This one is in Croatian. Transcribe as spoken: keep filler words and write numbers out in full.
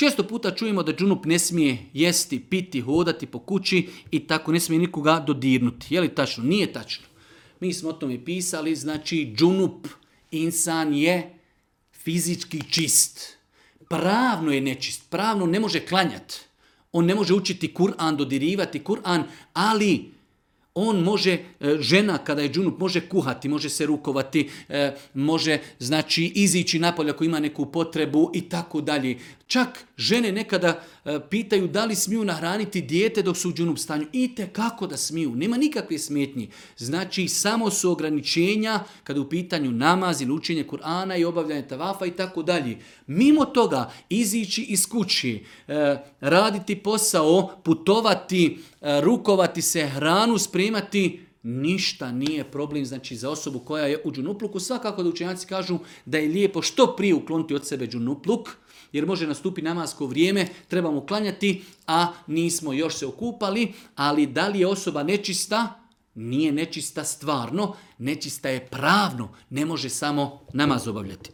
Često puta čujemo da džunup ne smije jesti, piti, hodati po kući i tako ne smije nikoga dodirnuti. Je li tačno? Nije tačno. Mi smo o tome pisali, znači džunup, insan je fizički čist. Pravno je nečist, pravno ne može klanjati. On ne može učiti Kur'an, dodirivati Kur'an, ali on može, žena kada je džunup, može kuhati, može se rukovati, može znači izići napolje ako ima neku potrebu i tako dalje. Čak žene nekada pitaju da li smiju nahraniti dijete dok su u džunup stanju. Itekako da smiju, nema nikakve smetnji. Znači samo su ograničenja kada je u pitanju namaz ili učenje Kur'ana i obavljanje tavafa i tako dalje. Mimo toga izići iz kući, raditi posao, putovati, rukovati se, hranu spremati, ništa nije problem, znači za osobu koja je u džunupluku. Svakako da učenjaci kažu da je lijepo što prije ukloniti od sebe džunupluk, jer može nastupiti namasko vrijeme, trebamo klanjati, a nismo još se okupali, ali da li je osoba nečista? Nije nečista stvarno, nečista je pravno, ne može samo namaz obavljati.